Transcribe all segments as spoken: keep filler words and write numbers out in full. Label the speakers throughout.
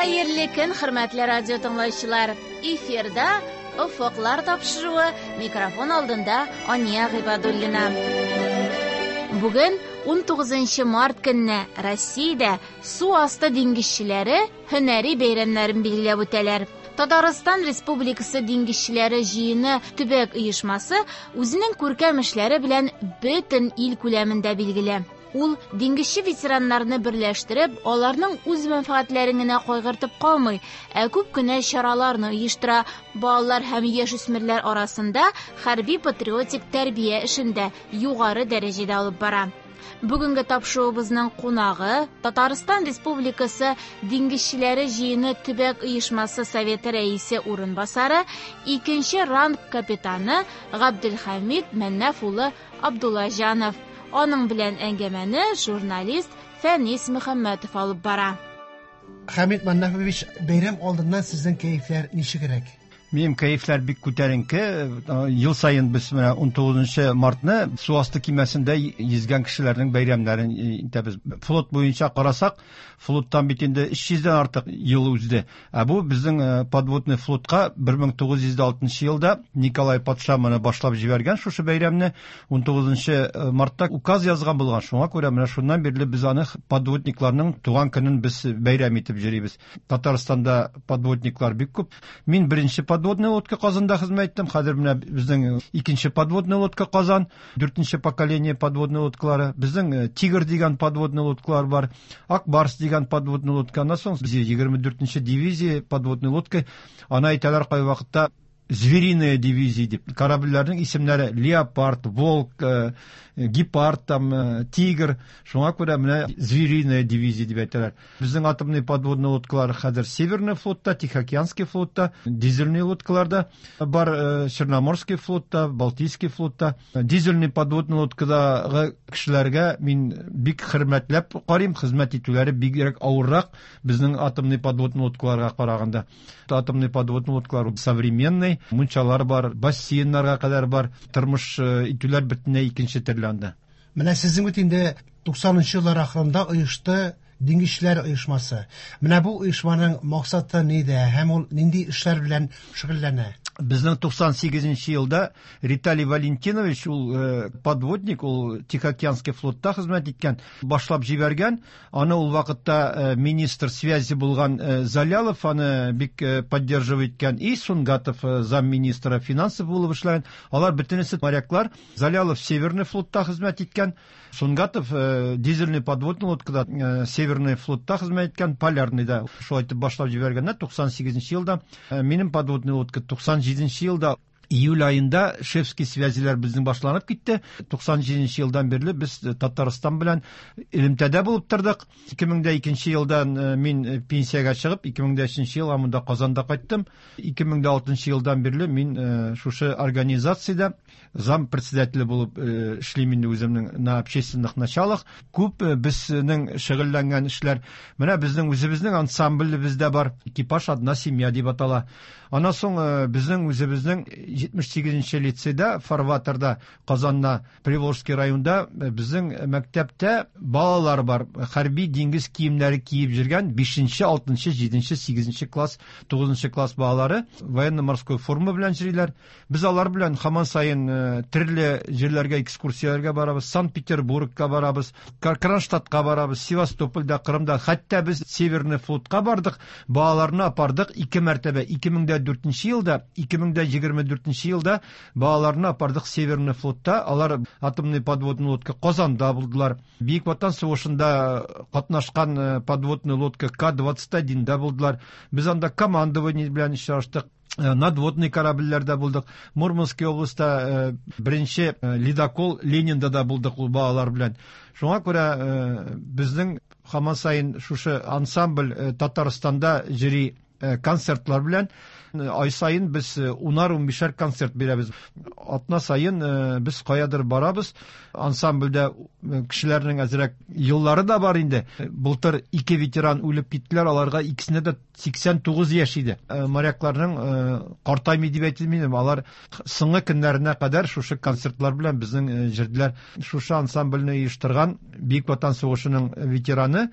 Speaker 1: Хәерле көн, хөрмәтле радио тыңлаучылар. Эфирда Офыклар тапшыруы, микрофон алдында Ания Гыйбадуллина. Бүген унтугызынчы март көнне Россиядә су асты диңгезчеләре һөнәри бәйрәмнәрен билгеләп үтәләр. Татарстан Республикасы диңгезчеләре җыены төбәк оешмасы үзенең күркәм эшләре белән бөтен ил күләмендә билгеле. Ул диңгезче ветераннарны берләштереп, аларның үз мәнфәгатьләрен генә кайгыртып калмый, ә күп кенә чараларны оештыра. Балалар һәм яшүсмерләр арасында хәрби патриотик тәрбия эшен дә югары дәрәҗәдә алып бара. Бүгенге тапшыруыбызның кунагы Татарстан Республикасы диңгезчеләре җыены төбәк оешмасы советы рәисе урынбасары, икенче ранг капитаны Габделхәмид Мәннәф улы Абдуллаҗанов. Аның белән әңгәмәне журналист Фәнис Мөхәммәтов алып бара.
Speaker 2: Хәмид Мәннәфович, бәйрәм алдыннан сезнең кәефләр ничегрәк?
Speaker 3: Минем кәефләр бик күтәренке. Ел саен без менә унтугызынчы мартны су асты кимәсендә йөзгән кешеләрнең бәйрәмнәрен итәбез. Флот буенча карасак, флоттан бит инде өч йөздән артык ел узды. Ә бу безнең, э, подводный флотка бер мең тугыз йөз алтынчы елда Николай патша моны башлап җибәргән шушы бәйрәмне унтугызынчы, э, мартта указ язган булган. Шуңа күрә менә шуннан бирле без аны подводникларның туган көнен без бәйрәм итеп йөрибез. Татарстанда подводниклар бик күп. Мин беренче подводная лодка Казанда хезмәт иттем. Хәзер менә безнең икенче подводная лодка Казан, дүртенче поколение подводная лодкалары. Безнең, э, Тигр дигән подводная лодкалар бар, Ак Барс дигән подводная лодка. Аннан соң без егерме дүртенче дивизия подводная лодка. Аны әйтәләр кайвакытта звериная дивизия дип. Корабльләрнең исемнәре Леопард, Волк, э, Гепард, там, э, Тигр. Шуңа күрә менә звериная дивизия дип әйтәләр. Безнең атомный подводный лодкалар хәзер Северный флотта, Тихоокеанский флотта, дизельный лодкаларда бар, э, Черноморский флотта, Балтийский флотта. Дизельный подводный лодкадагы кешеләргә мин бик хөрмәтләп карыйм, хезмәт итүләре бигрәк авыррак безнең атомный подводный лодкаларга караганда. Атомный подводный лодкалар современный, мунчалар бар, бассейннарга кадәр бар, тормыш, э, итүләр бөтенләй икенче төрле анда.
Speaker 2: Менә сезнең бит инде туксанынчы еллар ахырында оешты диңгезчеләр оешмасы. Менә бу оешманың максаты нидә һәм ул нинди эшләр белән шөгыльләнә?
Speaker 3: Безнең туксан сигезенче елда Виталий Валентинович, ул, э, подводник, ул Тихоокеанский флотта хезмәт иткән, башлап җибәргән. Аны ул вакытта, э, министр связи булган, э, Залялов аны бик, э, поддерживать иткән, и Сунгатов, э, замминистра финансов булып эшләгән. Алар бөтенесе моряклар. Залялов Северный флотта хезмәт иткән, Сунгатов, э, дизельный подводный лодкада, э, Северный флотта хезмәт иткән, Полярныйда. Шулай итеп башлап җибәргәннәр туксан сигезенче елда. Э, минем подводный лодка туксан җиденче елда июль айында шефский связиләр безнең башланып китте. Туксан җиденче елдан бирле без Татарстан белән элемтәдә булып тордык. Ике мең дә икенче елдан, э, мин пенсиягә чыгып, ике мең дә өченче ел монда Казанда кайттым. Ике мең дә алтынчы елдан бирле мин, э, шушы организациядә зам председателе булып, э, эшлим инде үземнең на общественных началах. Күп, э, безнең шөгыльләнгән эшләр. Менә безнең үзебезнең ансамблебез дә бар. Экипаж одна семья дип атала. Аннан соң, э, безнең үзебезнең җитмеш сигезенче лицейда, фарватерда, Казанда, Приволжский районда, э, безнең мәктәптә балалар бар. Хәрби диңгез киемнәре киеп йөргән бишенче, алтынчы, җиденче, сигезенче класс, тугызынчы класс балалары военно-морской форма белән йөриләр. Без алар белән һаман саен, э, төрле җирләргә экскурсияләргә барабыз, Санкт-Петербургка барабыз, Кр-, Кронштадтка барабыз, Севастопольдә, Кырымда, хәтта без Северный флотка бардык, балаларны апардык ике мәртәбә, ике мең дә дүртенче елда, ике мең дә егерме дүртенче елда балаларны апардык Северный флотта, алар атомный подводный лодка Казанда булдылар. Бөек Ватан сугышында катнашкан, э, подводный лодка К двадцать один да булдылар. Без анда командование белән очраштык. Э, надводный корабльләрдә булдык. Мурманский областьта, э, беренче, э, ледокол Ленинда да булдык ул балалар белән. Шуңа күрә, э, безнең һаман саен шушы ансамбль, э, Татарстанда йөри, э, концертлар белән. Ай саен без унар-унбишәр концерт бирәбез. Атна саен без каядыр барабыз. Ансамбльдә кешеләрнең әзрәк еллары да бар инде. Былтыр ике ветеран үлеп киттеләр, аларга икесенә дә сиксән тугыз яшь иде. Морякларның картаймый дип әйтелмим, алар соңгы көннәренә кадәр шушы концертлар белән безнең җырдылар. Шушы ансамбльне оештырган Бөек Ватан сугышының ветераны,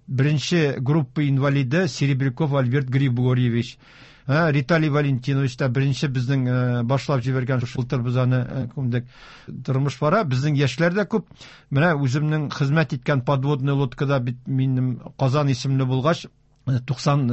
Speaker 3: беренче группа инвалиды Серебряков Альберт Григорьевич. Виталий Валентинович та беренче безнең башлап җибәргән, шултыр без аны күмдек. Тормыш бара, безнең яшьләр дә күп. Менә үземнең хезмәт иткән подводный лодкада бит минем Казан исемле булгач, туксан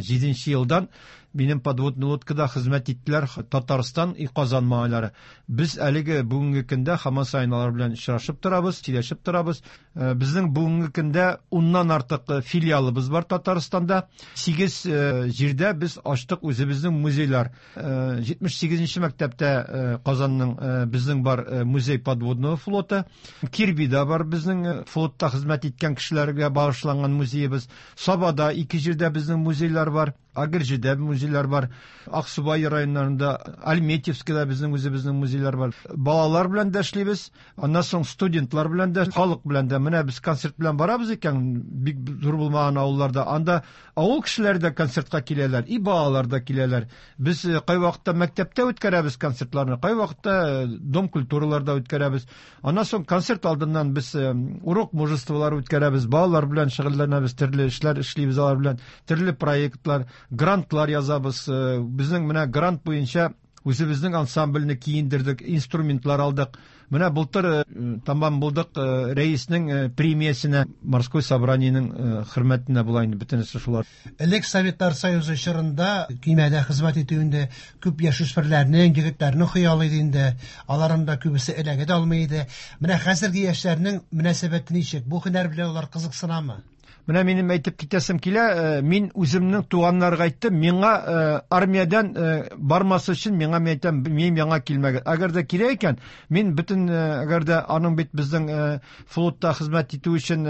Speaker 3: җиденче елдан минем подводный лодкада хезмәт иттеләр Татарстан и Казан малайлары. Без әлеге бүгенге көндә һаман саен алар белән очрашып торабыз, сөйләшеп торабыз. Безнең бүгенге көндә уннан артык филиалыбыз бар Татарстанда. Сигез җирдә без ачтык үзебезнең музейлар. Җитмеш сигезенче мәктәптә Казанның безнең бар музей подводного флота. Кирбида бар безнең флотта хезмәт иткән кешеләргә багышланган музеебыз. Сабада ике җирдә безнең музейлар бар. Агырҗыда музейлар бар, Аксубай районнарында, Альметьевскида безнең үзебезнең музейлар бар. Балалар белән дә эшлибез, аннан соң студентлар белән дә, халык белән дә. Менә без концерт белән барабыз икән, бик зур булмаган авылларда. Анда авыл кешеләре дә концертка киләләр, и балалар да киләләр. Без кайвакытта мәктәптә үткәрәбез концертларны, кайвакытта дом культураларда үткәрәбез. Аннан соң концерт алдыннан без урок мужестволар үткәрәбез, балалар белән шөгыльләнәбез, төрле эшләр эшлибез алар белән, төрле проектлар, грантлар язабыз. Безнең менә грант буенча үзебезнең ансамбльне киендердек, инструментлар алдык. Менә былтыр тамам булдык рәиснең премиясенә, морской собраниенең хөрмәтенә була инде бөтенесе шулар.
Speaker 2: Элек Советлар Союзы чорында көймәдә хезмәт итү инде күп яшүсмерләрнең, егетләрнең хыялы иде инде. Аларның да күбесе эләгә дә алмый иде. Менә хәзерге яшьләрнең мөнәсәбәте ничек? Бу һөнәр белән алар кызыксынамы?
Speaker 3: Менә минем әйтеп китәсем килә, мин үземнең туганнарга әйттем, миңа армиядән бармас өчен миңа мин әйтәм, минем яңа килмәгез. Әгәр дә кирәк икән, мин бөтен, әгәр дә аның бит безнең флотта хезмәт итү өчен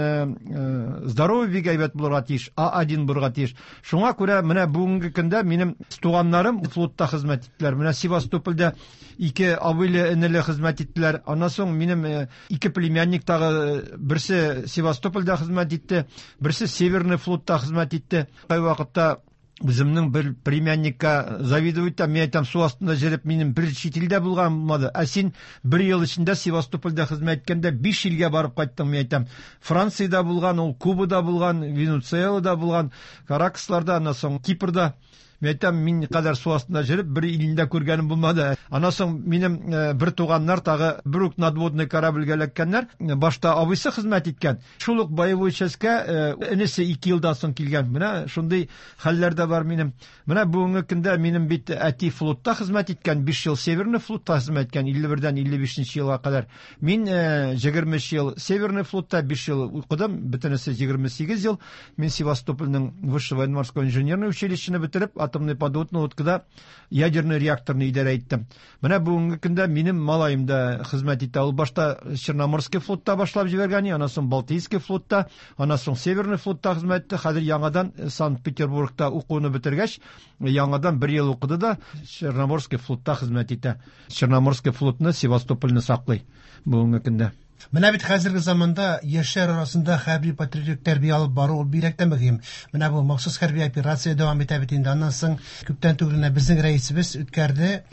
Speaker 3: здоровый бик әйбәт булырга тиеш, А один булырга тиеш. Шуңа күрә менә бүгенге көндә минем туганнарым флотта хезмәт иттеләр. Менә Севастопольдә ике абыйлы энеле хезмәт иттеләр. Аннан соң минем ике племянник тагы, берсе Севастопольдә хезмәт итте, берсе Северный флотта хезмәт итте. Кайвакытта үземнең бер племянникка завидовать итәм, мин әйтәм, су астында җөреп минем бер чит илдә булган булмады. Ә син бер ел эчендә Севастопольдә хезмәт иткәндә биш илгә барып кайттың, мин әйтәм. Франциядә булган, ул Кубада булган, Венесуэлада булган, Каракасларда, аннан соң Кипрда. Мин әйтәм, мин кадәр су астында җөреп бер илендә күргәнем булмады. Аннан соң минем бер туганнар тагы бер үк надводный корабльгә эләккәннәр. Башта абыйсы хезмәт иткән. Шул ук боевой частька энесе ике елдан соң килгән. Менә шундый хәлләр дә бар минем. Менә бүгенге көндә минем бит әти флотта хезмәт иткән, биш ел Северный флотта хезмәт иткән, илле бердән илле бишенче елга кадәр. Мин егерме өч ел Северный флотта биш ел укыдым, бөтенесе егерме сигез ел. Мин Севастопольнең высшее военно-морское инженерное училищены бетереп, атомный подводный лодкада ядерный реакторны идарә иттем. Менә бүгенге көндә минем малаем да хезмәт итә. Ул башта Черноморский флотта башлап җибәргән, аннан соң Балтийский флотта, аннан соң Северный флотта хезмәт итте. Хәзер яңадан Санкт-Петербургта укуны бетергәч, яңадан бер ел укыды да Черноморский флотта хезмәт итә. Черноморский флотны Севастопольны саклый бүгенге көндә.
Speaker 2: Менә бит хәзерге заманда яшьләр арасында хәрби патриотик тәрбия алып бару ул бигрәк тә мөһим. Менә бу махсус хәрби операция дәвам итә бит инде. Аннан соң күптән түгел генә безнең рәисебез үткәрде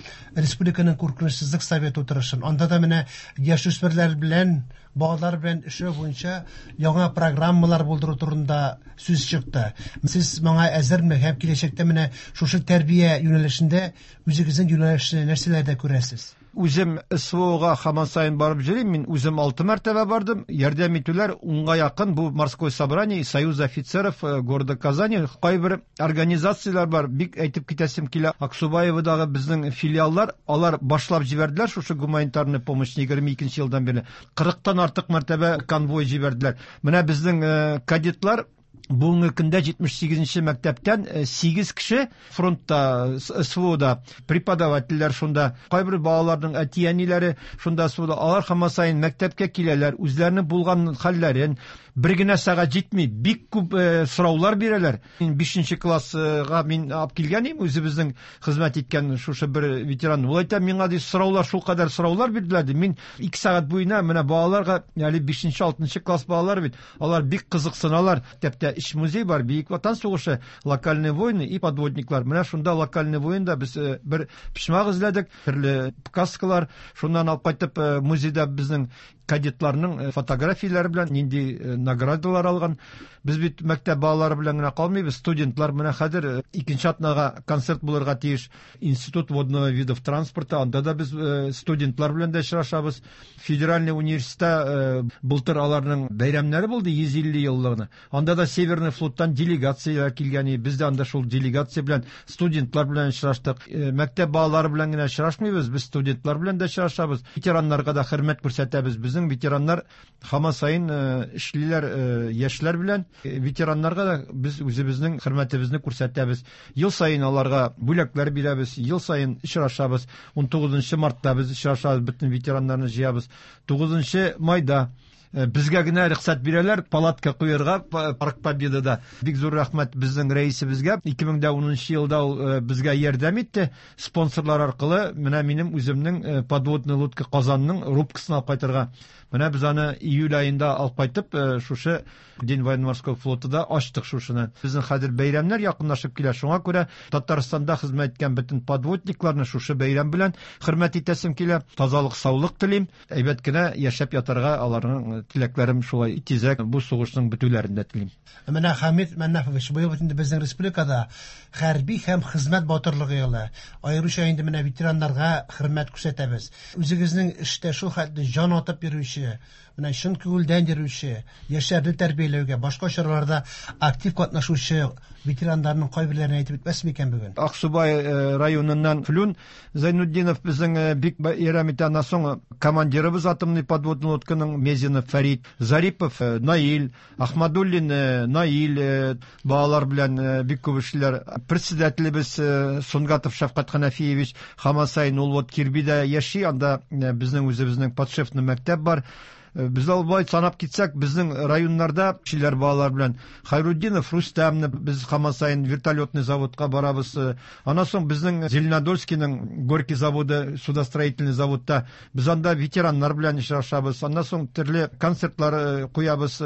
Speaker 2: республиканың куркынычсызлык советы утырышын. Анда да менә яшүсмерләр белән, балалар белән эшләү буенча яңа программалар булдыру турында сүз чыкты. Сез моңа әзерме һәм киләчәктә менә шушы тәрбия юнәлешендә үзегезнең юнәлешне нәрсәләрдә күрәсез?
Speaker 3: Үзем СВОга һаман саен барып йөрим. Мин үзем алты мәртәбә бардым. Ярдәм итүләр унга якын бу морское собрание и союз офицеров города Казани. Кайбер организацияләр бар, бик әйтеп китәсем килә. Аксубаевадагы безнең филиаллар, алар башлап җибәрделәр шушы гуманитарный помощь егерме икенче елдан бирле. Кырыктан артык мәртәбә конвой җибәрделәр. Менә безнең кадетлар Бүгенге көндә җитмеш сигезенче мәктәптән сигез кеше фронтта, СВОда, преподавательләр шунда, кайбер балаларның әти-әниләре шунда СВОда. Алар һаман саен мәктәпкә киләләр, үзләренең булган хәлләрен бер генә сәгать җитми, бик күп сораулар бирәләр. Мин бишенче классга мин алып килгән идем, үзебезнең хезмәт иткән шушы бер ветеран. Ул әйтә, миңа ди сораулар, шул кадәр сораулар бирделәр ди. Мин ике сәгать буена менә балаларга, әле бишенче, алтынчы класс балалары бит, алар бик кызыксыналар. Мәктәптә өч музей бар: Бөек Ватан сугышы, локальные войны и подводниклар. Менә шунда локальный войнда без бер почмак эзләдек, төрле каскалар, шуннан алып кайтып музейда безнең кадетларның фотографияләре белән нинди наградалар алган. Без бит мәктәп балалары белән генә калмыйбыз, студентлар менә хәзер икенче атнага концерт булырга тиеш. Институт водного видов транспорта, анда да без студентлар белән дә очрашабыз. Федеральный университетта былтыр аларның бәйрәмнәре булды, йөз илле еллыгына. Анда да Северный флоттан делегацияләр килгән иде. Без дә анда шул делегация белән, студентлар белән очраштык. Мәктәп балалары белән генә очрашмыйбыз, без студентлар белән дә очрашабыз. Ветераннарга да хөрмәт күрсәтәбез. Безнең ветераннар һаман саен эшлиләр яшьләр белән. Ветераннарга да без үзебезнең хөрмәтебезне күрсәтәбез. Ел саен аларга бүләкләр бирәбез, ел саен очрашабыз. Унтугызынчы мартта без очрашабыз, бөтен ветераннарны җыябыз. Тугызынчы майда безгә генә рөхсәт бирәләр палатка куярга Парк Победада. Бик зур рәхмәт безнең рәисебезгә. Ике мең дә унынчы елда ул безгә ярдәм итте. Спонсорлар аркылы менә минем үземнең подводный лодка Казанның рубкасын алып кайтырга. Менә без аны июль аенда алып кайтып, шушы День военно-морского флотыда ачтык шушыны. Безнең хәзер бәйрәмнәр якынлашып килә. Шуңа күрә Татарстанда хезмәт иткән бөтен подводникларны шушы бәйрәм белән хөрмәт итәсем килә. Тазалык, саулык телим. Әйбәт кенә яшәп ятарга аларның теләкләрем шулай тизрәк бу сугышның бетүләрен дә телим.
Speaker 2: Менә Хамит Мәннафович, быел бит инде безнең республикада хәрби һәм хезмәт батырлыгы елы. Аеруча инде менә ветераннарга хөрмәт күрсәтәбез. Үзегезнең эштә шул хәтле җан атып йөрүче, менә чын күңелдән йөрүче, яшьләрне тәрбияләүгә, башка чараларда актив катнашучы ветераннарның кайберләрен әйтеп үтмәс микән бүген?
Speaker 3: Аксубай районыннан Флюн Зайнутдинов безнең бик ярдәм итә. Аннан соң командирыбыз атомный подводный лодканың Мезинов Фәрит, Зарипов Наил, Ахмадуллин Наил, балалар белән бик күп эшләр. Председателебез Сунгатов Шәфкать Ханафиевич һаман саен ул вот Кирбидә яши, анда безнең үзебезнең подшефный мәктәп бар. Без алай санап китсәк, безнең районнарда кешеләр балалар белән Хайруддинов Рустамны без һаман саен вертолетный заводка барабыз. Аннан соң безнең Зеленодольскийның Горький заводы, судостроительный заводта без анда ветераннар белән очрашабыз. Аннан соң төрле концертлар куябыз.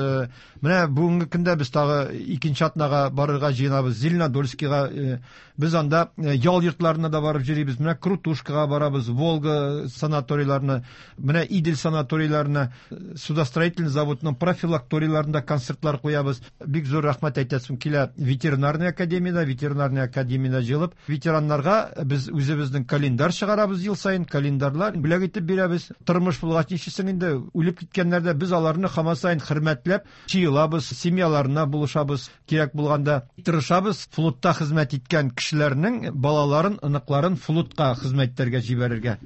Speaker 3: Менә бүгенге көндә без тагы икенче атнага барырга җыенабыз Зеленодольскийга. Без анда ял йортларына да барып йөрибез. Менә Крутушкага барабыз, Волга санаторийларына, менә Идел санаторийларына, судостроительный заводның профилакторийларында концертлар куябыз. Бик зур рәхмәт әйтәсем килә ветеринарный академияда, ветеринарный академияда җыелып, ветераннарга без үзебезнең календарь чыгарабыз ел саен, календарьлар бүләк итеп бирәбез. Тормыш булгач ничесең инде, үлеп киткәннәрдә без аларны һаман саен хөрмәтләп җыелабыз, семьяларына булышабыз, кирәк булганда тырышабыз флотта хезмәт иткән кешеләрнең балаларын, оныкларын флотка хезмәт итәргә җибәрергә.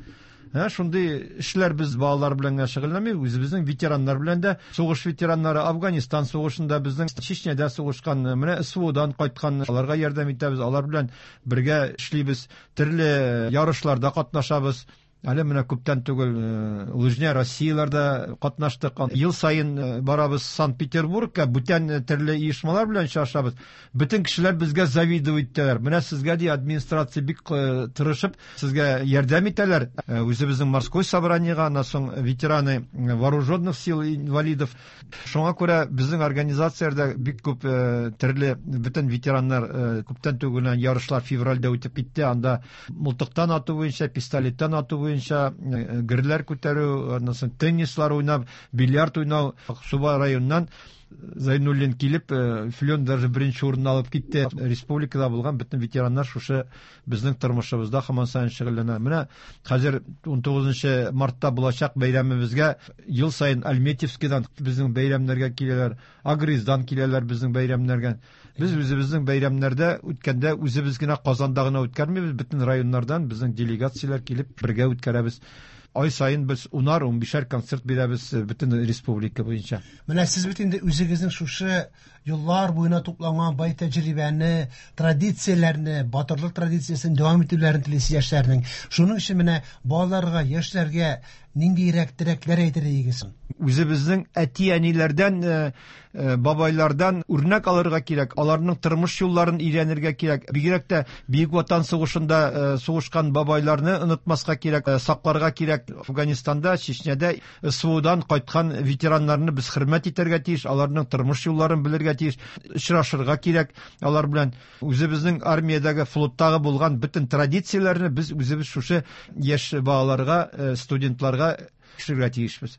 Speaker 3: Ә, шундый эшләр без балалар белән генә шөгыльләнмибез, үзебезнең ветераннар белән дә, сугыш ветераннары Афганистан сугышында, безнең Чечняда сугышкан, менә СВОдан кайткан, аларга ярдәм итәбез, алар белән бергә эшлибез, төрле ярышларда катнашабыз. Әле менә күптән түгел Лыжня Россияларда катнаштык. Ел саен барабыз Санкт-Петербургка, бүтән төрле оешмалар белән очрашабыз. Бөтен кешеләр безгә завидовать итәләр. Менә сезгә ди администрация бик тырышып сезгә ярдәм итәләр. Үзебезнең морской собраниега, аннан соң ветераны вооруженных сил инвалидов. Шуңа күрә безнең организацияләрдә бик күп төрле бөтен ветераннар күптән түгел ярышлар февральдә үтеп китте. Анда мылтыктан ату буенча, пистолеттан ату буенча, герләр күтәрү, аннан соң теннислар уйнап, бильярд уйнау. Аксубай районыннан Зайнуллин килеп, Флен даже беренче урынны алып китте. Республикада булган бөтен ветераннар шушы безнең тормышыбызда һаман саен шөгыльләнә. Менә хәзер унтугызынчы мартта булачак бәйрәмебезгә ел саен Альметьевскийдан безнең бәйрәмнәргә киләләр, Агриздан киләләр безнең бәйрәмнәргә. Без үзебезнең бәйрәмнәрдә үткәндә үзебез генә Казанда гына үткәрмибез, бөтен районнардан безнең делегацияләр килеп бергә үткәрәбез. Ай саен без унар, унбишәр концерт бирәбез бөтен республика буенча.
Speaker 2: Менә сез бит инде үзегезнең шушы еллар буена тупланган бай тәҗрибәне, традицияләрне, батырлык традициясен дәвам итүләрен телисез яшьләрнең. Шуның өчен менә балаларга, яшьләргә ниндирәк теләкләр әйтер идегез?
Speaker 3: Үзебезнең әти-әниләрдән, бабайлардан үрнәк алырга кирәк, аларның тормыш юлларын өйрәнергә кирәк. Бигрәк тә Бөек Ватан сугышында сугышкан бабайларны онытмаска кирәк, сакларга кирәк. Афганистанда, Чечняда СВОдан кайткан ветераннарны без хөрмәт итәргә тиеш, аларның тормыш юлларын белергә тиеш, очрашырга кирәк. Алар белән үзебезнең армиядәге, флоттагы булган бөтен традицияләрне без үзебез шушы яшь балаларга, студентларга төшерергә тиешбез.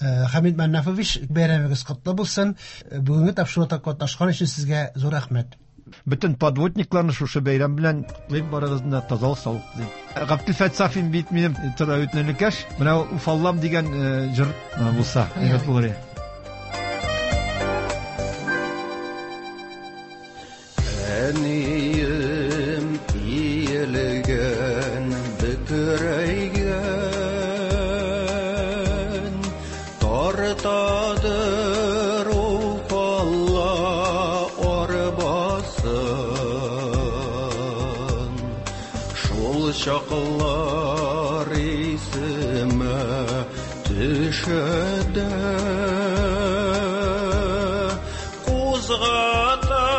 Speaker 2: Хәмид Мәннафович, бәйрәмегез котлы булсын. Бүгенге тапшыруда катнашкан өчен сезгә зур рәхмәт.
Speaker 3: Бөтен подводникларны шушы бәйрәм белән котлыйм, барыгызны да тазалык, саулык телим. Габделфәт Сафин бит минем тора үтенекәш. Менә Уфаллам дигән җыр булса, әйбәт булыр иде.
Speaker 4: Әнием иелгән, бөкрәйгән, тартадыр Уфалла арбасын. Шул чаклар исемә төшә дә, кузгата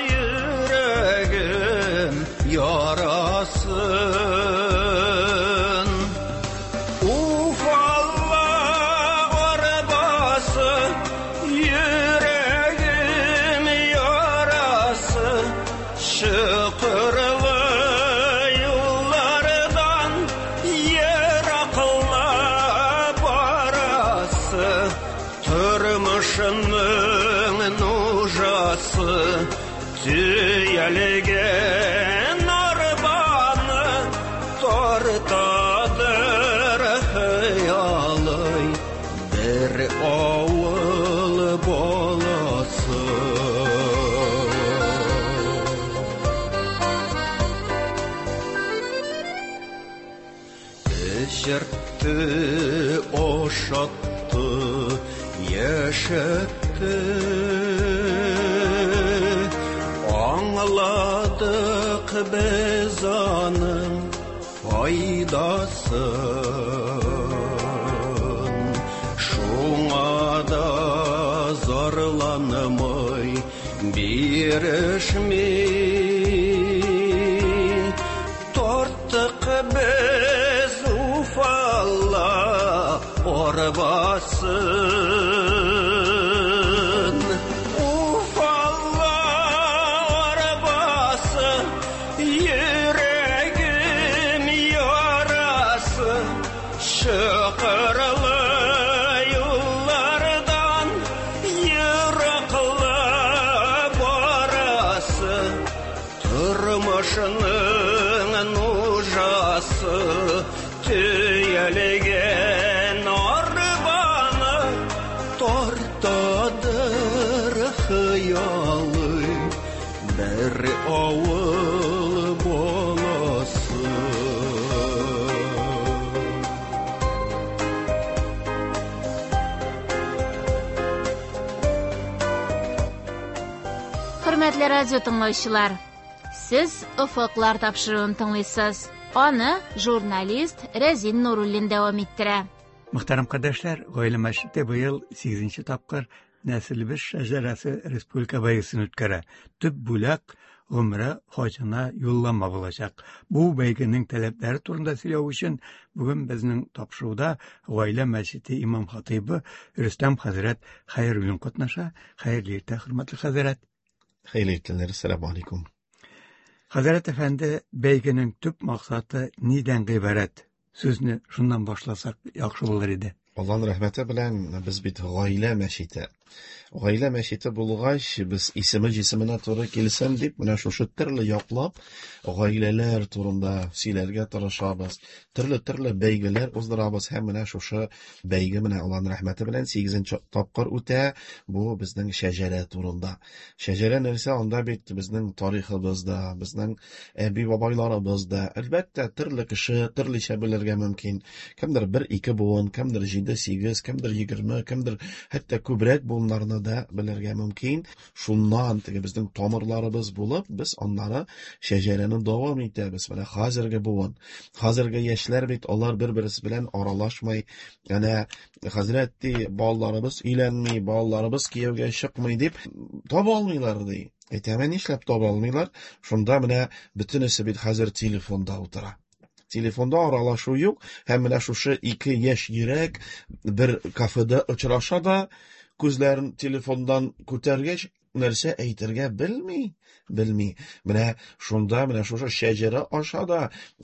Speaker 4: йөрәгем ярасын. Уфалла арбасы, йөрәгем ярасы, чокырлы юллардан ераклап барасы, тормышның нужасы төялгән арбаны тартадыр хыялый бер авыл баласы. Эчертте, ашатты, яшәтте. Аңладык без аның файдасын. Шуңа да зарланмый, бирешми. Тарттык без Уфалла арбасын. Уфалла арбасы, йөрәгем ярасы, чокырлы юллардан ераклап барасы, тормышның нужасы төялгән арбаны тартадыр хыялый бер авыл баласы.
Speaker 1: Хөрмәтле радио тыңлаучылар, сез Офыклар тапшыруын тыңлыйсыз. Аны журналист Рәзин Нуруллин дәвам иттерә.
Speaker 5: Мөхтәрәм кардәшләр, Гаилә мәчете быел сигезенче тапкыр Нәселебез шәҗәрәсе республика бәйгесен үткәрә. Төп бүләк гомрә хаҗына юллама булачак. Бу бәйгенең таләпләре турында сөйләү өчен бүген безнең тапшыруда Гаилә мәчете имам хатыйбы Рөстәм хәзрәт Хәйруллин катнаша. Хәерле иртә, хөрмәтле хәзрәт.
Speaker 6: Хәерле иртәләр, ассаламу алейкум.
Speaker 5: Хәзрәт әфәнде, бәйгенең төп максаты нидән гыйбарәт? Сүзне шуннан башласак яхшы булыр иде.
Speaker 6: Аллаһның рәхмәте белән без бит Гаилә мәчете. Гаилә мәчете булгач, без исеме җисеменә туры килсен дип, менә шушы төрле яклап гаиләләр турында сөйләргә тырышабыз. Төрле-төрле бәйгеләр уздырабыз һәм менә шушы бәйге менә Аллаһның рәхмәте белән сигезенче тапкыр үтә. Бу безнең шәҗәрә турында. Шәҗәрә нәрсә? Анда бит безнең тарихыбыз да, безнең әби-бабайларыбыз да. Әлбәттә, төрле кеше төрлечә белергә мөмкин. Кемдер бер-ике буын, кемдер җиде-сигез, кемдер егерме, кемдер хәтта күбрәк буыннарны да белергә мөмкин. Шуннан теге безнең тамырларыбыз булып, без аннары шәҗәрәне дәвам итәбез. Менә хәзерге буын, хәзерге яшьләр бит алар бер-берсе белән аралашмай. Әнә хәзрәт ди, балаларыбыз өйләнми, балаларыбыз кияүгә чыкмый дип таба алмыйлар ди. Әйтәм, нишләп таба алмыйлар? Шунда менә бөтенесе бит хәзер телефонда утыра. Телефонда аралашу юк, һәм менә шушы ике яшь йөрәк бер кафеда очраша да, күзләрен телефондан күтәргәч, нәрсә әйтергә белми, белми. Менә шунда, менә шушы шәҗәрә аша да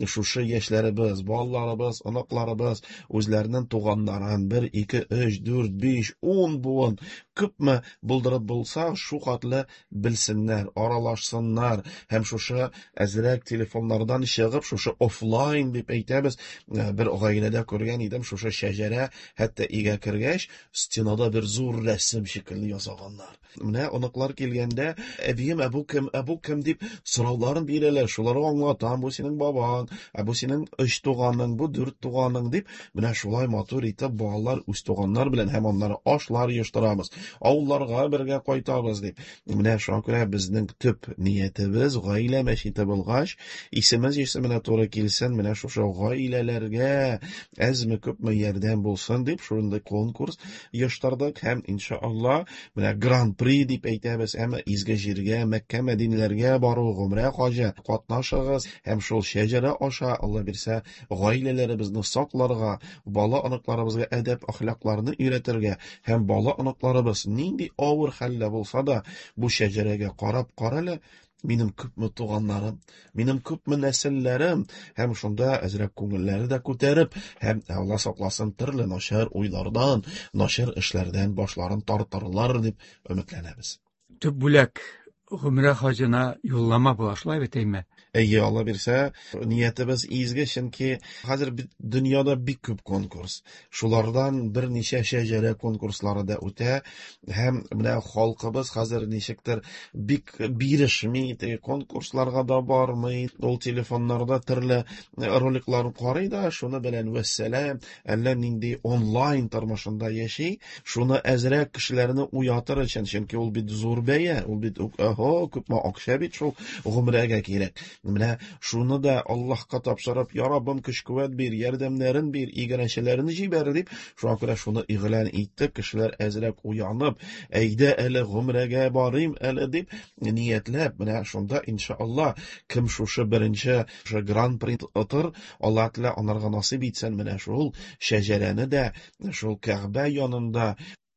Speaker 6: шушы яшьләребез, балаларыбыз, оныкларыбыз үзләренең туганнарын бер, ике, өч, дүрт, биш, ун буын күпме булдырып булса, шу хәтле белсеннәр, аралашсыннар һәм шушы әзрәк телефоннардан чыгып, шушы офлайн дип әйтәбез, бер гаиләдә күргән идем, шушы шәҗәрә хәтта өйгә кергәч, стенада бер зур рәсем шикелле ясаганнар. Менә оныклар килгәндә, әбием, ә бу кем, ә бу кем дип сорауларын бирәләр, шуларга аңлатам, бу синең бабаң, ә бу синең өч туганың, бу дүрт туганың дип, менә шулай матур итеп балалар үз туганнар белән һәм аннары ашлар оештырабыз, авылларга бергә кайтабыз дип. Менә шуңа күрә безнең төп ниятебез гаилә мәчете булгач, исемез исеменә туры килсен, менә шушы гаиләләргә әзме күпме ярдәм булсын дип шундый конкурс оештырдык һәм иншалла менә гран-при дип әйтәбез, әмма изге җиргә, Мәккә, Мәдинәләргә бару, гомрә хаҗы катнашыгыз һәм шул шәҗәрә аша Алла бирсә гаиләләребезне сакларга, бала оныкларыбызга әдәп әхлакларны өйрәтергә һәм бала оныкларыбыз нинди авыр хәлдә булса да бу шәҗәрәгә карап карале, минем күпме туганнарым, минем күпме нәселләрем, һәм шунда әзрәк күңелләре дә күтәреп, һәм Алла сакласын төрле начар уйлардан, начар эшләрдән башларын тартырлар дип өметләнәбез.
Speaker 5: Төп бүләк гомрә хаҗына юллама була, шулай бит, әйме?
Speaker 6: Әйе, Алла бирсә, ниятебез изге, чөнки хәзер дөньяда бик күп конкурс. Шулардан берничә шәҗәрә конкурслары да үтә, һәм менә халкыбыз хәзер ничектер бик бирешми, теге конкурсларга да бармый, ул телефоннарда төрле роликлар карый да, шуны белән вәссәлам, әллә нинди онлайн тормышында яши. Шуны әзрәк кешеләрне уятыр өчен, чөнки ул бит зур бәя, ул бит оһо, күпме акча бит шул гомрәгә кирәк. Менә шуны да Аллаһка тапшырып, я Раббым, көч-куәт бир, ярдәмнәрен бир, игенчеләрен җибәр дип, шуңа күрә шуны игълан иттек. Кешеләр әзрәк уянып, әйдә әле гомрәгә барыйм әле дип ниятләп, менә шунда иншалла кем шушы беренче шушы гран-при отыр, Аллаһ Тәгалә анарга насыйп итсен, менә шул шәҗәрәне дә шул Кәгъбә янында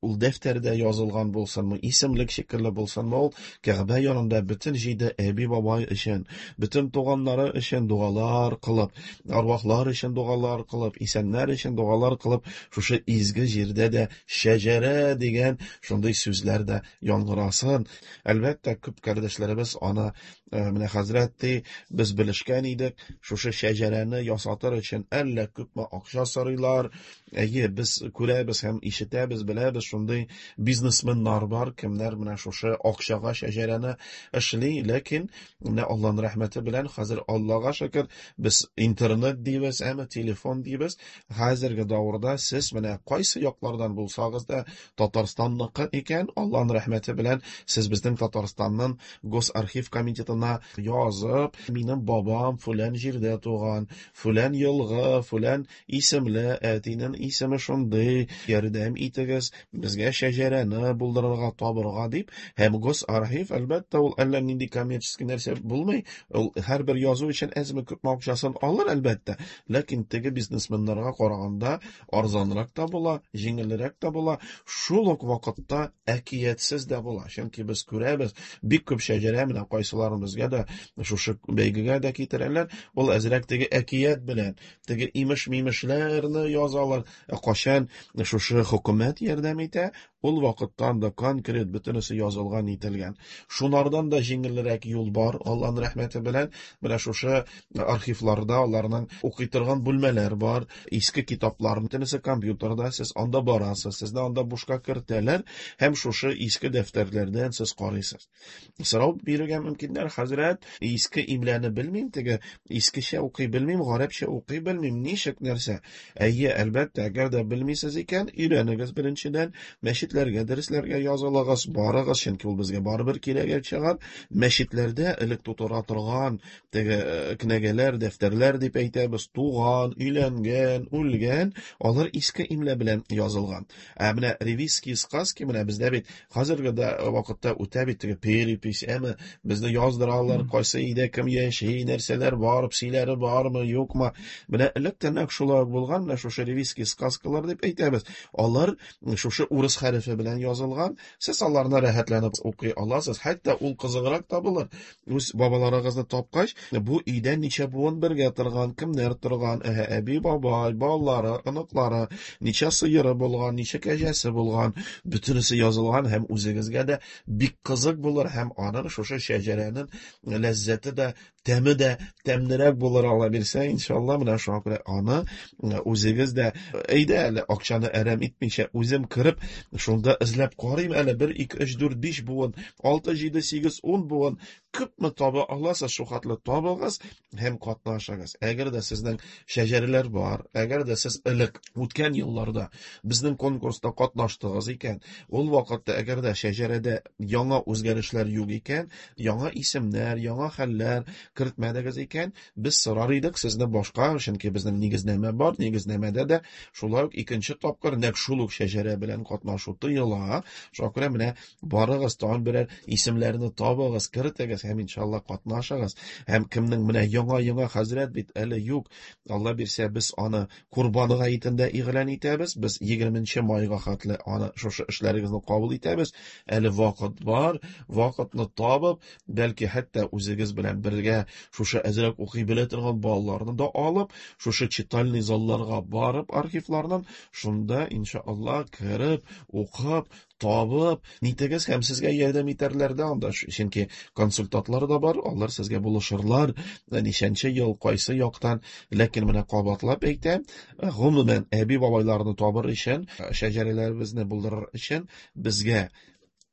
Speaker 6: ул дәфтәрдә язылган булсынмы, исемлек шикелле булсынмы, ул Кәгъбә янында бөтен җиде әби-бабай өчен, бөтен туганнары өчен дугалар кылып, арвахлар өчен дугалар кылып, исәннәр өчен дугалар кылып, шушы изге җирдә дә шәҗәрә дигән шундый сүзләр дә яңгырасын. Әлбәттә, күп кардәшләребез аны, менә хәзрәт ди, без белешкән идек, шушы шәҗәрәне ясатыр өчен әллә күпме акча сорыйлар. Әйе, без күрәбез һәм ишетәбез, беләбез, шундый бизнесменнар бар, кемнәр менә шушы акчага шәҗәрәне эшли, ләкин менә Аллаһның рәхмәте белән хәзер Аллаһга шөкер, без интернет дибез, әмма телефон дибез. Хәзерге дәвердә сез менә кайсы яклардан булсагыз да Татарстанныкы икән, Аллаһның рәхмәте белән сез безнең Татарстанның Госархив комитетына язып, минем бабам фүлән җирдә туган, фүлән елгы, фүлән исемле, әтинең исеме шундый, ярдәм итегез безгә шәҗәрәне булдырырга, табырга дип. Һәм Госархив, әлбәттә, ул әллә нинди коммерческий нәрсә булмый, ул һәрбер язу өчен әзме күпме акчасын алыр, әлбәттә, ләкин теге бизнесменнарга караганда арзанрак та була, җиңелрәк тә була, шул ук вакытта әкиятсез дә була. Чөнки без күрәбез, бик күп шәҗәрә менә кайсыларыбызга да шушы бәйгегә дә китерәләр, ул әзрәк теге әкият белән, теге имеш-мимешләрне язалар. Ә кайчан шушы хөкүмәт ярдәм итә, Ул вакытта анда конкрет бөтенесе язылган, ителгән. Шунардан да җиңелрәк юл бар, Аллаһның рәхмәте белән. Менә шушы архивларда аларның укый торган бүлмәләр бар, иске китаплар, бөтенесе компьютерда, сез анда барасыз, сезне анда бушка кертәләр һәм шушы иске дәфтәрләрдән сез карыйсыз. Сорау бирергә мөмкиннәр, хәзрәт, иске имләне белмим, теге искечә укый белмим, гарәпчә укый белмим, ничек нәрсә? Әйе, әлбәттә, әгәр дә белмисез икән, өйрәнегез беренчедән, мәчетләргә, дәресләргә язылыгыз, барыгыз, чөнки ул безгә барыбер кирәгә чыгар. Мәчетләрдә элек тутыра торган теге кенәгәләр, дәфтәрләр дип әйтәбез, туган, өйләнгән, үлгән, алар иске имлә белән язылган. Ә менә ревизские сказки, менә бездә бит хәзерге дә вакытта үтә бит теге перепись, әме безне яздыралар, кайсы өйдә кем яши, нәрсәләр бар, псиләре бармы, юкмы. Менә электән үк шулай булган, менә шушы ревизские сказкалар дип әйтәбез. Алар шушы урыс хәрефе белән язылган. Сез аларны рәхәтләнеп укый аласыз. Хәтта ул кызыграк та булыр. Үз бабаларыгызны тапкач, бу өйдә ничә буын бергә торган, кемнәр торган, әһә, әби, бабай, балалары, оныклары, ничә сыеры булган, ничә кәҗәсе булган, бөтенесе язылган һәм үзегезгә дә бик кызык булыр һәм аның шушы шәҗәрәнең ләззәте дә, тәме дә тәмлерәк булыр, Алла бирсә, иншалла. Менә шуңа күрә аны үзегез дә әйдә әле акчаны әрәм итмичә үзем кереп шунда эзләп карыйм әле, бер, ике, өч, дүрт, биш буын, алты, җиде, сигез, ун буын, күпме таба аласыз, шул хәтле табыгыз һәм катнашыгыз. Әгәр дә сезнең шәҗәрәләр бар, әгәр дә сез элек үткән елларда безнең конкурста катнаштыгыз икән, ул вакытта әгәр дә шәҗәрәдә яңа үзгәрешләр юк икән, яңа исемнәр, яңа хәлләр кертмәдегез икән, без сорар идек сезне башка, чөнки безнең нигезнамә бар, нигезнамәдә дә шулай ук икенче тапкыр нәкъ шул ук шәҗәрә белән катнашу тыела. Шуңа күрә менә барыгыз, тагын берәр исемнәрне табыгыз, кертегез һәм иншалла катнашыгыз. Һәм кемнең менә яңа-яңа хәзрәт бит әле юк, Алла бирсә, без аны Курбан гаетендә игълан итәбез, без егерменче майга хәтле аны шушы эшләрегезне кабул итәбез. Әле вакыт бар, вакытны табып, бәлки хәтта үзегез белән бергә шушы әзрәк укый белә торган балаларны да алып, шушы читальный залларга барып, архивлардан шунда иншалла кереп, укып, табып, нитегез һәм сезгә ярдәм итәрләр дә анда, чөнки консультантлар да бар, алар сезгә булышырлар, ничәнче ел, кайсы яктан. Ләкин менә кабатлап әйтәм, гомумән әби бабайларны табыр өчен, шәҗәрәләребезне булдырыр өчен безгә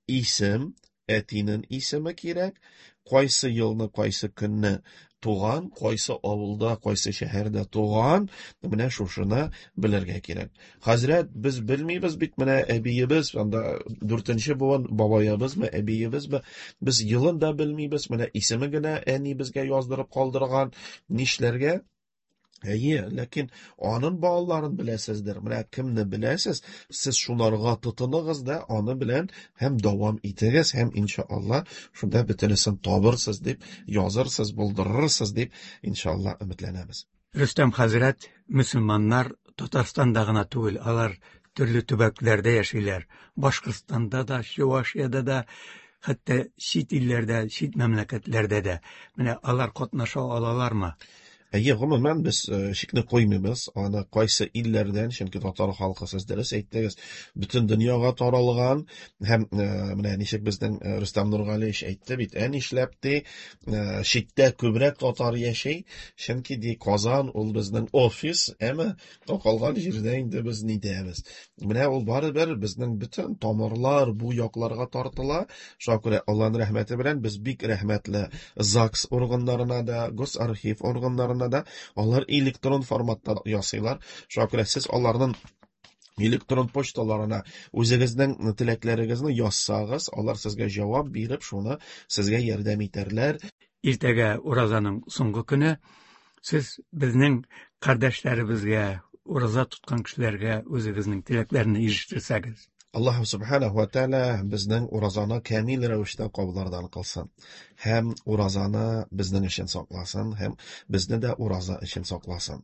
Speaker 6: исем, әтинең исеме кирәк, кайсы елны, кайсы көнне туган, кайсы авылда, кайсы шәһәрдә туган, менә шушыны белергә кирәк. Хәзрәт, без белмибез бит, менә әбиебез, анда дүртенче буын бабаебызмы, әбиебезме, без елын да белмибез, менә исеме генә әни безгә яздырып калдырган, нишләргә? Әйе, ләкин аның балаларын беләсездер. Менә кемне беләсез, сез шуларга тотыныгыз да, аны белән һәм дәвам итегез, һәм иншалла шунда бөтенесен табырсыз дип, язырсыз, булдырырсыз дип иншалла өметләнәбез.
Speaker 5: Рөстәм хәзрәт, мөселманнар Татарстанда гына түгел, алар төрле төбәкләрдә яшиләр. Башкортстанда да, Чувашиядә дә, хәтта чит илләрдә, чит мәмләкәтләрдә дә. Менә алар катнаша алалармы?
Speaker 6: Әйе, гомумән без шикне куймыйбыз, аны кайсы илләрдән, чөнки татар халкы, сез дөрес әйттегез, бөтен дөньяга таралган һәм менә ничек безнең Рөстәм Нургалиевич әйтте бит, ә нишләп ди, читтә күбрәк татар яши, чөнки ди Казан ул безнең офис, әмма калган җирдә инде без нидәбез. Менә ул барыбер безнең бөтен тамырлар бу якларга тартыла. Шуңа күрә Аллаһның рәхмәте белән без бик рәхмәтле ЗАГС органнарына да, Госархив органнарына да, алар электрон форматта ясыйлар. Шуңа күрә сез аларның электрон почталарына үзегезнең теләкләрегезне язсагыз, алар сезгә җавап биреп, шуны сезгә ярдәм итәрләр.
Speaker 5: Иртәгә уразаның соңгы көне. Сез безнең кардәшләребезгә, ураза тоткан кешеләргә үзегезнең теләкләрне ирештерсәгез.
Speaker 6: Аллаһ субханаһу ва тааля безнең уразаны камил рәвештә кабуллардан кылсын. Һәм уразаны безнең өчен сакласын, һәм безне дә ураза өчен сакласын.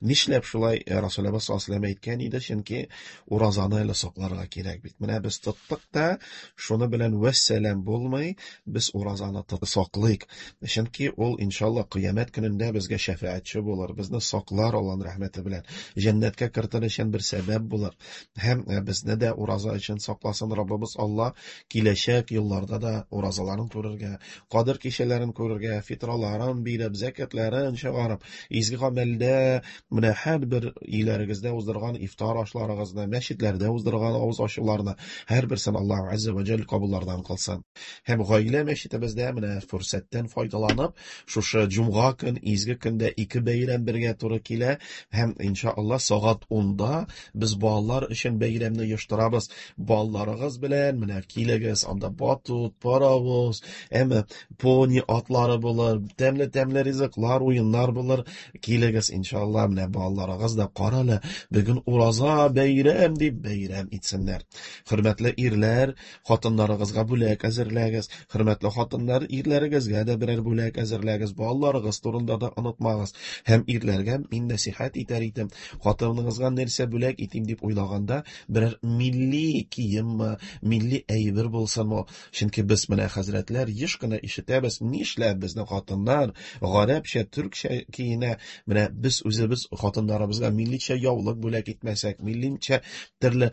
Speaker 6: Нишләп шулай Расулыбыз саллаллаһу алейһи ва сәлләм әйткән иде? Чөнки уразаны әле сакларга кирәк бит. Менә без тоттык та, шуны белән вәссәлам булмый, без уразаны саклыйк. Чөнки ул иншалла кыямәт көнендә безгә шәфәгатьче булыр, безне саклар Аллаһның рәхмәте белән. Җәннәткә кертер өчен бер сәбәп булыр. Һәм безне дә ураза ураза өчен сакласын Раббыбыз Алла. Киләчәк елларда да уразаларын күрергә, кадер кичәләрен күрергә, фитраларын биреп, зәкятларын чыгарып, изге гамәлдә менә һәрбер өйләрегездә уздырган ифтар ашларыгызны, мәчетләрдә уздырган авыз ачуларны һәрберсен Аллаһ азза ва җәл кабуллардан кылсын. Һәм гаилә мәчетебездә менә фурсаттан файдаланып, шушы җомга көн, изге көндә ике бәйрәм бергә туры килә һәм иншалла сәгать унда без балалар өчен бәйрәмне оештырабыз. Балаларыгыз белән менә килегез, анда батут, паровоз, әмма пони атлары булыр, тәмле-тәмле ризыклар, уеннар булыр. Килегез иншалла, менә балаларыгыз да карале, бүген ураза бәйрәм дип бәйрәм итсеннәр. Хөрмәтле ирләр, хатыннарыгызга бүләк әзерләгез. Хөрмәтле хатыннар, ирләрегезгә дә берәр бүләк әзерләгез. Балаларыгыз турында да онытмагыз. Һәм ирләргә мин нәсихәт итәр идем. Хатыныгызга нәрсә бүләк итим дип уйлаганда, берәр милли киемме, милли әйбер булсынмы? Чөнки без менә хәзрәтләр еш кына ишетәбез, нишләп безнең хатыннар гарәпчә, төркчә киенә? Менә без үзебез хатыннарыбызга милличә яулык бүләк итмәсәк, милличә төрле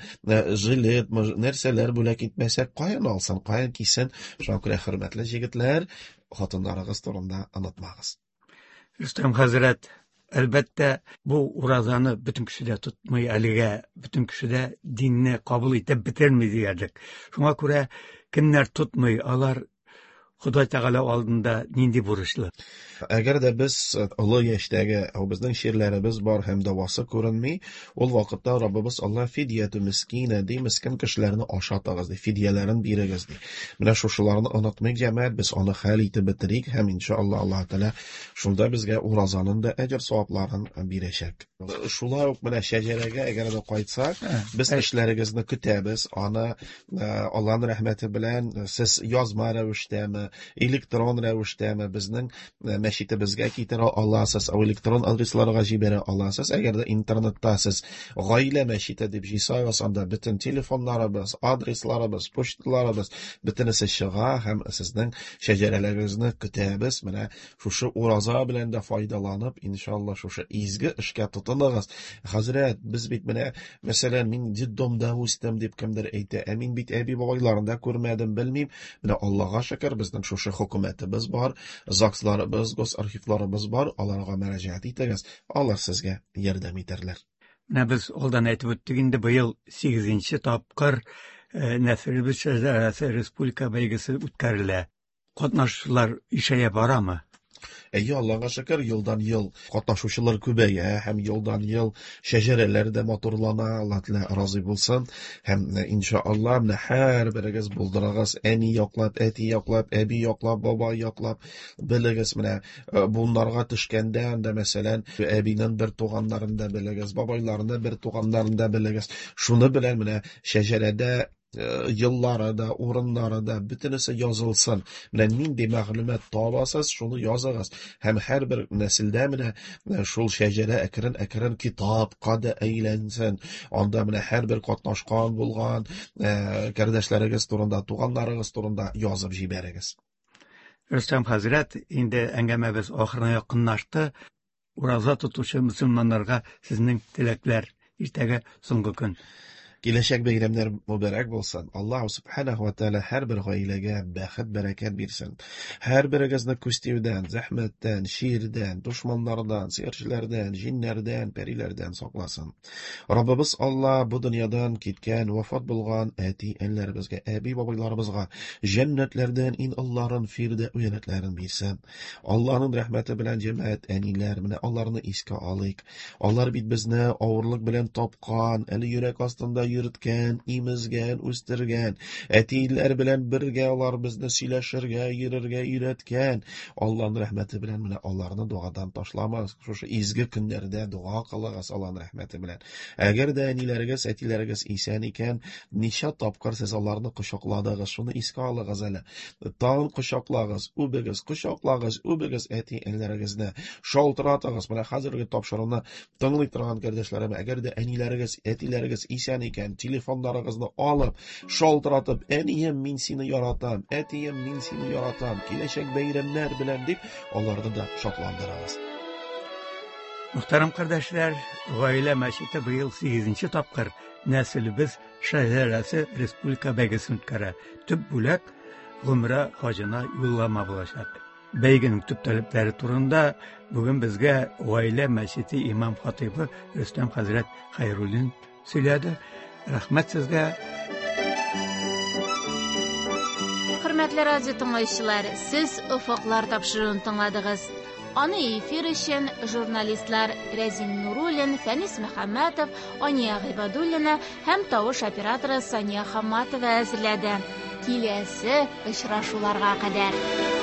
Speaker 6: жилет, нәрсәләр бүләк итмәсәк, каян алсын, каян кисен? Шуңа күрә, хөрмәтле җегетләр, хатыннарыгыз турында онытмагыз.
Speaker 5: Рөстәм хәзрәт, әлбәттә, бу уразаны бөтен кеше дә тотмый, әлегә бөтен кеше дә динне кабул итеп бетерми диярлек. Шуңа күрә кемнәр тотмый, алар Ходай Тәгалә алдында нинди бурычлы?
Speaker 6: Әгәр дә без олы яшьтәге, безнең чирләребез бар һәм дәвасы күренми, ул вакытта Раббыбыз Алла фидияту мискина ди, мискин кешеләрне ашатыгыз ди, фидияләрен бирегез ди. Менә шушыларны онытмыйк, җәмәгать, без аны хәл итеп бетерик һәм иншалла Аллаһ Тәгалә шунда безгә уразаның да әҗер савапларын бирәчәк. Шулай ук менә шәҗәрәгә әгәр дә кайтсак, без эшләрегезне көтәбез. Аны Аллаһның рәхмәте белән сез язма рәвештәме, электрон рәвештәме безнең мәчетебезгә китерә аласыз, электрон адресларга җибәрә аласыз. Әгәр дә интернетта сез гаилә мәчете дип җыйсагыз, анда бөтен телефоннарыбыз, адресларыбыз, почталарыбыз бөтенесе чыга һәм сезнең шәҗәрәләрегезне көтәбез. Менә шушы ураза белән дә файдаланып, иншалла шушы изге эшкә тотыныгыз. Хәзрәт, без бит менә, мәсәлән, мин детдомда үстем дип кемдер әйтә, ә мин бит әби бабайларын да күрмәдем, белмим. Менә Аллаһка шөкер, безнең шушы хөкүмәтебез бар, ЗАГСларыбыз, госархивларыбыз бар, аларга мөрәҗәгать итегез, алар сезгә ярдәм итәрләр.
Speaker 5: Менә без алдан әйтеп үттек инде, быел сигезенче тапкыр Нәселебез шәҗәрәсе республика бәйгесе үткәрелә. Катнашучылар ишәя барамы?
Speaker 6: Әйе, Аллаһка шөкер, елдан ел катнашучылар күбәя һәм елдан ел шәҗәрәләр дә матурлана. Аллаһ Тәгалә разый булсын. Һәм иншалла менә һәрберегез булдырыгыз, әни яклап, әти яклап, әби яклап, бабай яклап, белегез менә буыннарга төшкәндә, анда мәсәлән, әбинең бер туганнарын да белегез, бабайларының бер туганнарын да белегез. Шуны белән менә шәҗәрәдә еллары да, урыннары да, бөтенесе язылсын. Менә нинди мәгълүмат табасыз, шуны языгыз. Һәм һәрбер нәселдә менә шул шәҗәрә әкрен-әкрен китапка да әйләнсен. Анда менә һәрбер катнашкан булган кардәшләрегез турында, туганнарыгыз турында язып җибәрегез.
Speaker 5: Рөстәм хәзрәт, инде әңгәмәбез ахырына якынлашты. Ураза тотучы мөселманнарга сезнең теләкләр. Иртәгә соңгы көн.
Speaker 6: Киләчәк бәйрәмнәр мөбарәк булсын. Аллаһ субханаһу ва тааля һәрбер гаиләгә бәхет, бәрәкәт бирсен. Һәрберегезне күз тиюдән, зәхмәттән, ширдән, дошманнардан, сихерчеләрдән, җиннәрдән, пәриләрдән сакласын. Раббыбыз Аллаһ бу дөньядан киткән, вафат булган әти-әниләребезгә, әби-бабайларыбызга җәннәтләрдән иң олыларын, фирдәүс җәннәтләрен бирсен. Аллаһның рәхмәте белән җәмәгать, әниләр, менә аларны искә алыйк. Алар бит безне авырлык белән тапкан, әле йөрәк астында йөрткән, имезгән, үстергән. Әтиләр белән бергә алар безне сөйләшергә, йөрергә өйрәткән. Аллаһның рәхмәте белән менә аларны дуадан ташламагыз. Шушы изге көннәрдә дуа кылыгыз Аллаһның рәхмәте белән. Әгәр дә әниләрегез, әтиләрегез исән икән, ничә тапкыр сез аларны кочакладыгыз, шуны искә алыгыз әле. Тагын кочаклагыз, үбегез, кочаклагыз, үбегез әти-әниләрегезне. Шалтыратыгыз. Менә хәзерге тапшыруны тыңлый торган кардәшләрем, әгәр дә әниләрегез, әтиләрегез исән икән, телефоннарыгызны алып, шалтыратып, әнием, мин сине яратам, әтием, мин сине яратам, киләчәк бәйрәмнәр белән дип, аларны да шатландырыгыз.
Speaker 5: Мөхтәрәм кардәшләр, Гаилә мәчете быел сигезенче тапкыр Нәселебез шәҗәрәсе республика бәйгесен үткәрә. Төп бүләк гомрә хаҗына юллама булачак. Бәйгенең төп таләпләре турында бүген безгә Гаилә мәчете имам хатыйбы Рөстәм хәзрәт Хәйруллин сөйләде. Рәхмәт сезгә.
Speaker 1: Хөрмәтле радио тыңлаучылар, сез Офыклар тапшыруын тыңладыгыз. Аны эфир өчен журналистлар Рәзин Нуруллин, Фәнис Мөхәммәтов, Ания Гыйбадуллина һәм тавыш операторы Сания Хамматова әзерләде. Киләсе очрашуларга кадәр.